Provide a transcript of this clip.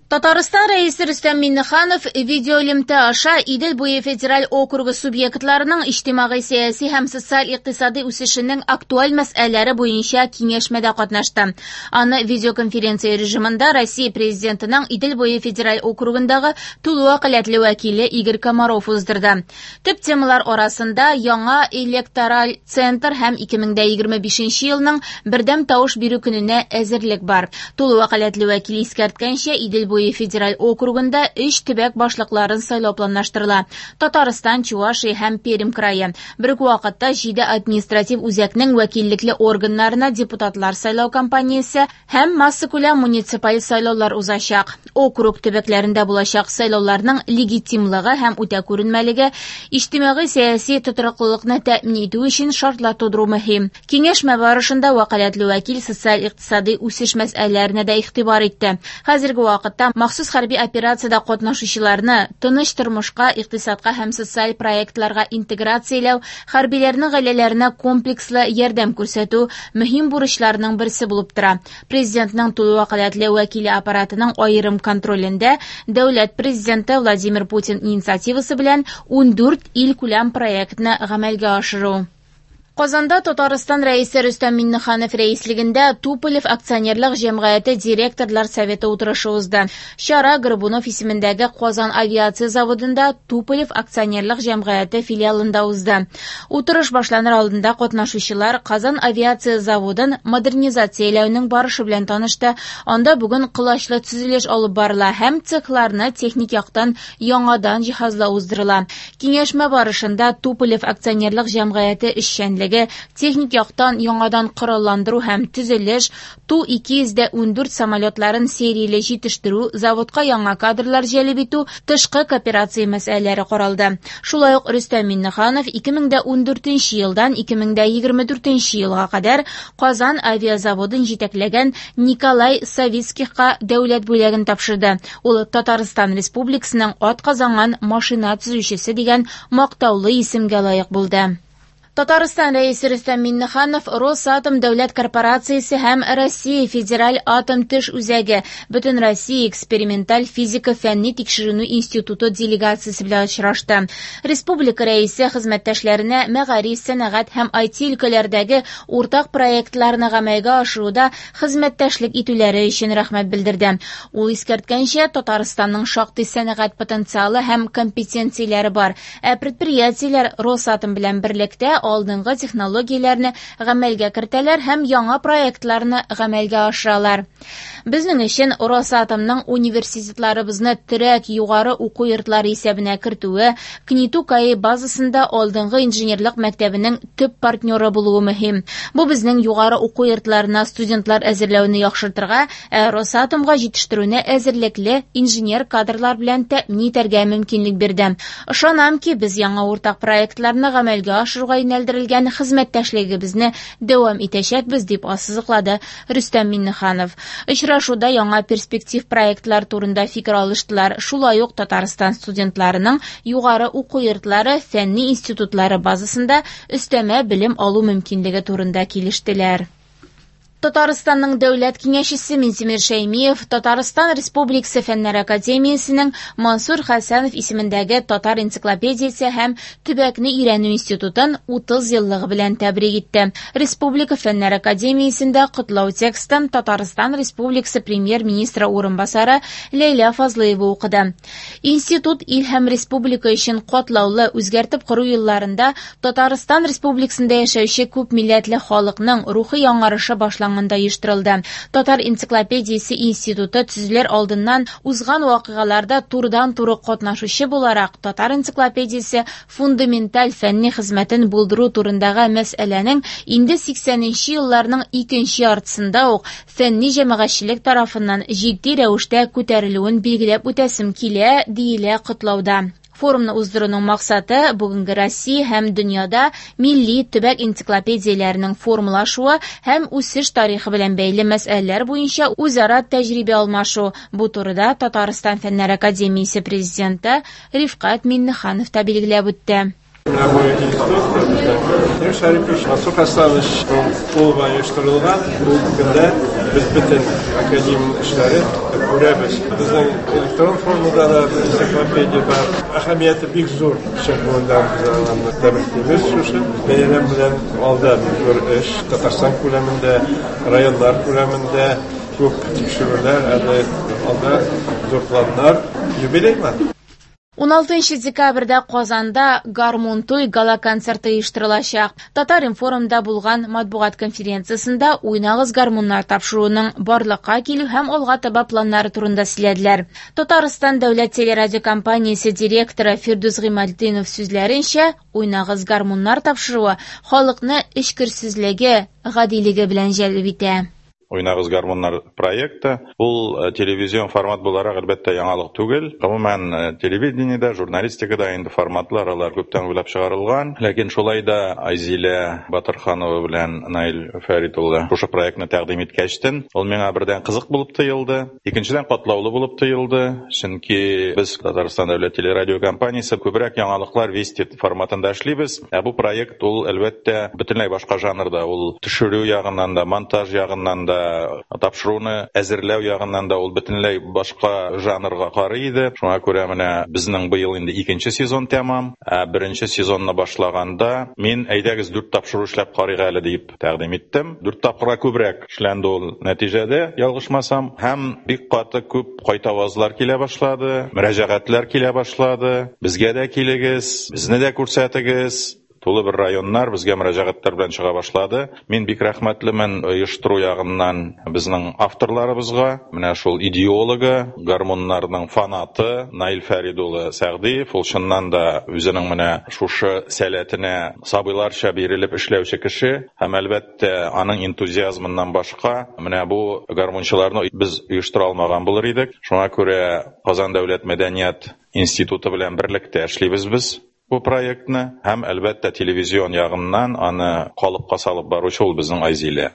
Татарстан Рәисе Рөстәм Миңнеханов видеоэлемтә аша Идел буе федераль округы субъектларының иҗтимагый-сәяси һәм социаль-икътисадый үсешенең актуаль мәсьәләләре буенча киңәшмәдә катнашты. Аны видеоконференция режимында Россия Президентының Идел буе федераль округындагы тулы вәкаләтле вәкиле Игорь Комаров уздырды. Төп темалар арасында яңа электораль центр һәм 2025 елның бердәм тавыш бирү көненә әзерлек бар. Тулы вәкаләтле вәкил искәрткәнчә, Идел буе федераль округында өч төбәк башлыкларын сайлау планлаштырыла: Татарстан, Чувашия һәм Пермь крае. Бер үк вакытта җиде административ үзәкнең вәкиллекле органнарына депутатлар сайлау кампаниясе һәм массакүләм муниципаль сайлаулар узачак. Округ төбәкләрендә булачак сайлауларның легитимлыгы һәм үтә күренмәлеге, иҗтимагый-сәяси тотрыклылыкны тәэмин итү өчен шартлар тудыру мөһим. Киңәшмә барышында вәкаләтле вәкил социаль-икътисадый үсеш мәсьәләләренә дә игътибар итте. Хәзерге вакытта махсус хәрби операциядә катнашучыларны тыныч тормышка, икътисадка һәм социаль проектларга интеграцияләү, хәрбиләрнең гаиләләренә комплекслы ярдәм күрсәтү мөһим бурычларның берсе булып тора. Президентның тулы вәкаләтле вәкиле аппаратының аерым контролендә дәүләт президенты Владимир Путин инициативасы белән 14 илкүләм проектны гамәлгә ашыру. Казанда Татарстан Рәисе Рөстәм Миңнеханов рәислегендә Туполев акционерлык җәмгыяте директорлар советы утырышы узды. Чара Горбунов исемендәге Казан авиация заводында Туполев акционерлык җәмгыяте филиалында узды. Утырыш башланыр алдында катнашучылар Казан авиация заводын модернизацияләүнең барышы белән танышты. Анда бүген колачлы төзелеш алып барыла һәм цехларны техник яктан яңадан җиһазлау уздырыла. Киңәшмә барышында Туполев акционерлык җәмгыяте эшчәнлеге, техник яктан яңадан коралландыру һәм төзелеш, Ту-214 самолетларын серияле җитештерү, заводка яңа кадрлар җәлеп итү, тышкы кооперация мәсьәләләре каралды. Шулай ук Рөстәм Миңнеханов 2014 елдан 2024 елга кадәр Казан авиазаводын җитәкләгән Николай Савицкихка дәүләт бүләген тапшырды. Ул Татарстан Республикасының атказанган машина төзүчесе дигән мактаулы исемгә лаек булды. Татарстан Рәисе Рөстәм Миңнеханов Росатом дәүләт корпорациясе һәм Россия Федераль атом төш үзәге Бөтенроссия эксперименталь физика фәнни тикшеренү институты делегациясе белән очрашты. Республика Рәисе хезмәттәшләренә мәгариф, сәнәгать һәм IT өлкәләрдәге уртак проектларны гамәлгә ашыруда хезмәттәшлек итүләре өчен рәхмәт белдерде. Ул искәрткәнчә, Татарстанның шактый сәнәгать потенциалы һәм компетенцияләре бар, ә предприятиеләр Росатом белән берлектә алдынгы технологияләрне гамәлгә кертәләр һәм яңа проектларны гамәлгә ашыралар. Безнең өчен Росатомның университетларыбызны терәк югары уку йортлары исәбенә кертүе, КНИТУ КАИ базасында алдынгы инженерлык мәктәбенең төп партнеры булуы мөһим. Бу безнең югары уку йортларына студентлар әзерләүне яхшыртырга, ә Росатомга җитештерүне әзерлекле инженер кадрлар белән тәэмин итәргә мөмкинлек бирде. Ышанам ки, без яңа уртак проектларны гамәлгә ашыруга юнәлдерелгән хезмәттәшлегебезне дәвам итәчәкбез, дип ассызыклады Рөстәм Миңнеханов. Очрашуда яңа перспектив проектлар турында фикер алыштылар. Шулай ук Татарстан студентларының югары уку йортлары, фәнни институтлары базасында өстәмә белем алу мөмкинлеге турында килештеләр. Татарстанның дәүләт киңәшчесе Минтимер Шәймиев Татарстан Республикасы Фәннәр академиясенең Мансур Хәсәнов исемендәге Татар энциклопедиясе һәм төбәкне өйрәнү институтын 30 еллыгы белән тәбрик итте. Республика Фәннәр академиясендә котлау текстын Татарстан Республикасы премьер-министры урынбасары Ләйлә Фазлыева укыды. Институт ил һәм республика өчен катлаулы үзгәртеп кору елларында Татарстан Республикасында яшәүче күп милләтле халыкның рухи яңарышы башланганда оештырылды. Татар энциклопедиясе институты төзелер алдыннан узган вакыйгаларда турыдан-туры катнашучы буларак Татар энциклопедиясе фундаменталь фәнни хезмәтен булдыру турындагы мәсьәләнең инде 80 елларның икенче яртысында ук фәнни җәмәгатьчелек тарафыннан җитди рәвештә күтәрелүен билгеләп үтәсем килә, диелә котлауда. Форумны уздыруның максаты бүгенге Россия һәм дөньяда милли төбәк энциклопедияләренең формалашуы һәм үсеш тарихы белән бәйле мәсьәләләр буенча үзара тәҗрибә алмашу. Бу турыда Татарстан Фәннәр академиясе президенты Рифкать Миңнеханов та билгеләп үтте. Менә бу институт безнең Минтимер Шәрипович, Мансур Хәсәнович кулы белән оештырылган. Бу көндә без бөтен академия эшләре Күрәбез. Безнең электрон формада да энциклопедия бар. Әһәмияте бик зур. Чын күңелдән без аларны тәбриклибез шушы бәйрәм белән. Алда бик зур эш. Татарстан күләмендә, районнар күләмендә күп тикшерүләр, әле алда зур планнар. Юбилей бар. 16 декабрьдә Казанда Гармун туй гала-концерты оештырылачак. Татар-информда булган матбугат конференциясендә Уйнагыз гармуннар тапшыруының барлыкка килү һәм алга таба планнары турында сөйләделәр. Татарстан дәүләт телерадиокомпаниясе директоры Фирдүс Гыймалтдинов сүзләренчә, Уйнагыз гармуннар тапшыруы халыкны эчкерсезлеге, гадилеге белән җәлеп итә. Уйнагыз гармуннар проекты ул телевизион формат буларак, әлбәттә, яңалык түгел. Гомумән, телевидениедә, журналистикада инде форматлар алар күптән уйлап чыгарылган. Ләкин шулай да Айзилә Батырханова белән Наил Фәрит улы шушы проектны тәкъдим иткәчтен, ул миңа бердән кызык булып тоелды, икенчедән катлаулы булып тоелды, чөнки без Татарстан дәүләт телерадиокомпаниясе күбрәк яңалыклар Вести форматында эшлибез. Ә бу проект ул, әлбәттә, бөтенләй башка жанрда, ул төшерү ягыннан да, монтаж ягыннан да, тапшыруны әзерләү ягыннан да ул бөтенләй башка жанрга карый иде. Шуңа күрә менә безнең быел инде икенче сезон тәмам. Ә беренче сезонны башлаганда мин әйдәгез 4 тапшыру эшләп карыйк әле дип тәкъдим иттем. 4 тапкырга күбрәк эшләнде ул нәтиҗәдә, ялгышмасам, һәм бик каты күп кайтавазлар килә башлады, мөрәҗәгатьләр килә башлады. Безгә дә килегез, безне дә күрсәтегез. Тулы бер районнар безгә мөрәҗәгатьләр белән чыга башлады. Мин бик рәхмәтлемен оештыру ягыннан безнең авторларыбызга. Менә шул идеологы, гармуннарның фанаты Наил Фәрид улы Сәгъдиев, ул чыннан да үзенең менә шушы сәләтенә сабыйларча бирелеп эшләүче кеше һәм, әлбәттә, аның энтузиазмыннан башка менә бу гармунчыларны без оештыра алмаган булыр идек. Шуңа күрә Казан дәүләт мәдәният институты белән берлектә эшлибез без бу проектны һәм, әлбәттә, телевизион ягыннан аны калыпка салып баручы ул безнең Айзилә.